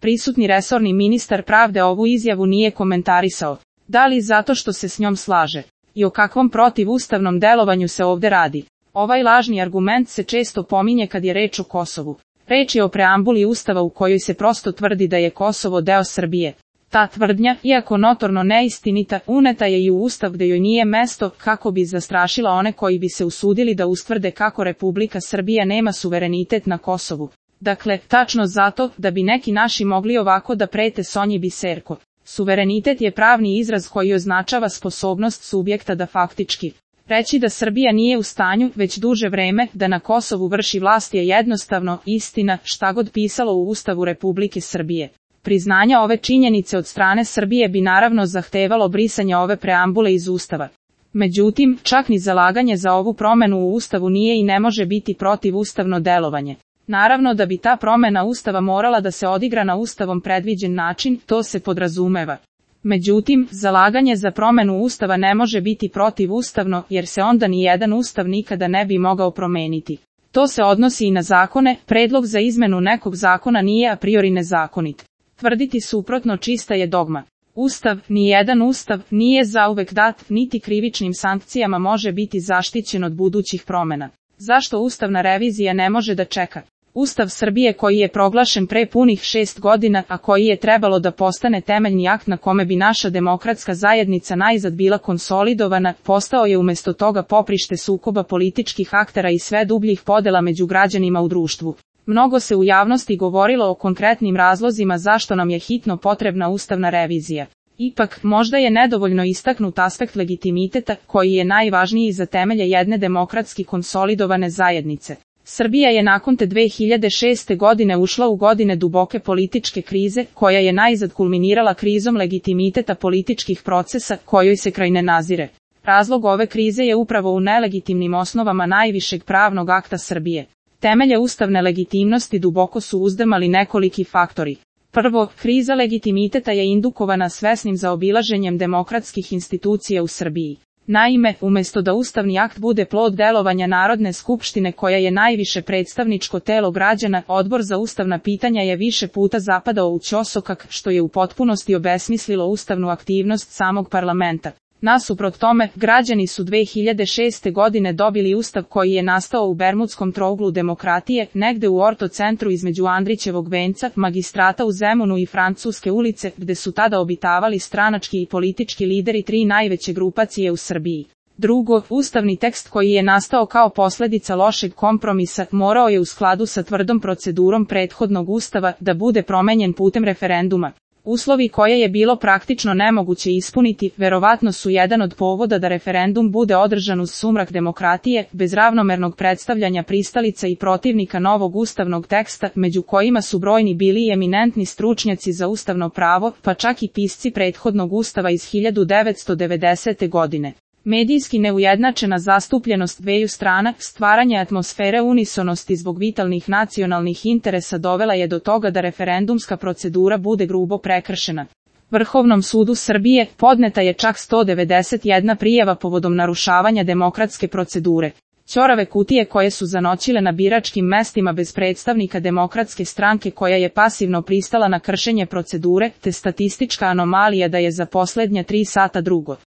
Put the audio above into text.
Prisutni resorni ministar pravde ovu izjavu nije komentarisao. Da li zato što se s njom slaže? I o kakvom protivustavnom delovanju se ovde radi? Ovaj lažni argument se često pominje kad je reč o Kosovu. Reč je o preambuli Ustava u kojoj se prosto tvrdi da je Kosovo deo Srbije. Ta tvrdnja, iako notorno neistinita, uneta je i u Ustav gde joj nije mesto, kako bi zastrašila one koji bi se usudili da ustvrde kako Republika Srbija nema suverenitet na Kosovu. Dakle, tačno zato, da bi neki naši mogli ovako da prete Sonji Biserko. Suverenitet je pravni izraz koji označava sposobnost subjekta da faktički reći da Srbija nije u stanju, već duže vreme, da na Kosovu vrši vlast je jednostavno istina, šta god pisalo u Ustavu Republike Srbije. Priznanja ove činjenice od strane Srbije bi naravno zahtevalo brisanje ove preambule iz Ustava. Međutim, čak ni zalaganje za ovu promenu u Ustavu nije i ne može biti protivustavno delovanje. Naravno da bi ta promena Ustava morala da se odigra na Ustavom predviđen način, to se podrazumeva. Međutim, zalaganje za promenu Ustava ne može biti protivustavno, jer se onda ni jedan Ustav nikada ne bi mogao promeniti. To se odnosi i na zakone, predlog za izmenu nekog zakona nije a priori nezakonit. Tvrditi suprotno čista je dogma. Ustav, nijedan Ustav, nije zauvek dat, niti krivičnim sankcijama može biti zaštićen od budućih promena. Zašto ustavna revizija ne može da čeka? Ustav Srbije koji je proglašen pre punih 6 godina, a koji je trebalo da postane temeljni akt na kome bi naša demokratska zajednica najzad bila konsolidovana, postao je umesto toga poprište sukoba političkih aktera i sve dubljih podela među građanima u društvu. Mnogo se u javnosti govorilo o konkretnim razlozima zašto nam je hitno potrebna ustavna revizija. Ipak, možda je nedovoljno istaknut aspekt legitimiteta, koji je najvažniji za temelje jedne demokratski konsolidovane zajednice. Srbija je nakon te 2006. godine ušla u godine duboke političke krize, koja je najzad kulminirala krizom legitimiteta političkih procesa, kojoj se kraj ne nazire. Razlog ove krize je upravo u nelegitimnim osnovama najvišeg pravnog akta Srbije. Temelje ustavne legitimnosti duboko su uzdrmali nekoliki faktori. Prvo, kriza legitimiteta je indukovana svesnim zaobilaženjem demokratskih institucija u Srbiji. Naime, umesto da ustavni akt bude plod delovanja Narodne skupštine koja je najviše predstavničko telo građana, Odbor za ustavna pitanja je više puta zapadao u ćosokak, što je u potpunosti obesmislilo ustavnu aktivnost samog parlamenta. Nasuprot tome, građani su 2006. godine dobili ustav koji je nastao u Bermudskom trouglu demokratije, negde u ortocentru između Andrićevog venca, Magistrata u Zemunu i Francuske ulice, gde su tada obitavali stranački i politički lideri tri najveće grupacije u Srbiji. Drugo, ustavni tekst koji je nastao kao posledica lošeg kompromisa, morao je u skladu sa tvrdom procedurom prethodnog ustava da bude promenjen putem referenduma. Uslovi koje je bilo praktično nemoguće ispuniti, verovatno su jedan od povoda da referendum bude održan uz sumrak demokratije, bez ravnomernog predstavljanja pristalica i protivnika novog ustavnog teksta, među kojima su brojni bili i eminentni stručnjaci za ustavno pravo, pa čak i pisci prethodnog ustava iz 1990. godine. Medijski neujednačena zastupljenost dveju strana, stvaranje atmosfere unisonosti zbog vitalnih nacionalnih interesa dovela je do toga da referendumska procedura bude grubo prekršena. Vrhovnom sudu Srbije podneta je čak 191 prijava povodom narušavanja demokratske procedure. Ćorave kutije koje su zanoćile na biračkim mestima bez predstavnika Demokratske stranke koja je pasivno pristala na kršenje procedure, te statistička anomalija da je za poslednja 3 sata drugo